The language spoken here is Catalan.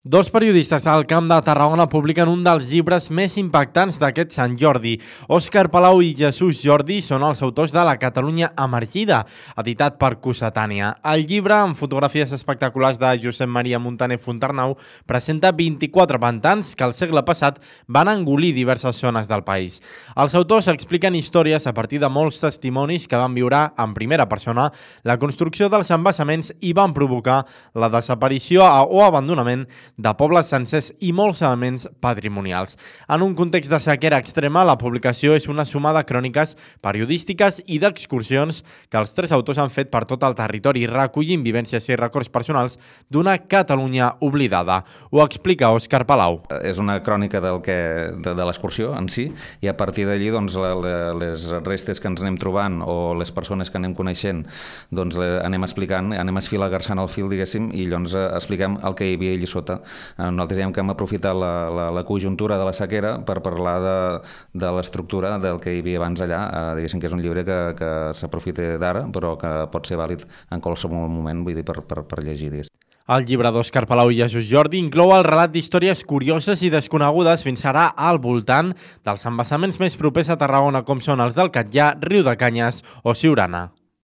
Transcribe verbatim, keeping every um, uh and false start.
Dos periodistes del Camp de Tarragona publiquen un dels llibres més impactants d'aquest Sant Jordi. Òscar Palau i Jesús Jordi són els autors de La Catalunya Emergida, editat per Cossetània. El llibre, amb fotografies espectaculars de Josep Maria Montaner Fontarnau, presenta vint-i-quatre pantans que al segle passat van engolir diverses zones del país. Els autors expliquen històries a partir de molts testimonis que van viure en primera persona la construcció dels embassaments i van provocar la desaparició o abandonament de pobles sencers i molts elements patrimonials. En un context de sequera extrema, la publicació és una suma de cròniques periodístiques i d'excursions que els tres autors han fet per tot el territori, recollint vivències i records personals d'una Catalunya oblidada. Ho explica Òscar Palau. És una crònica del que, de, de l'excursió en si, i a partir d'allí doncs, la, la, les restes que ens anem trobant o les persones que anem coneixent doncs, anem explicant, anem esfilagarçant el fil, diguéssim, i llavors expliquem el que hi havia allà sota. Nosaltres diem que hem aprofitat la, la, la conjuntura de la sequera per parlar de, de l'estructura del que hi havia abans allà. Eh, diguéssim que és un llibre que, que s'aprofita d'ara, però que pot ser vàlid en qualsevol moment, vull dir, per, per, per llegir. El llibre d'Òscar Palau i Jesús Jordi inclou el relat d'històries curioses i desconegudes fins ara al voltant dels embassaments més propers a Tarragona, com són els del Catllar, Riudecanyes o Siurana.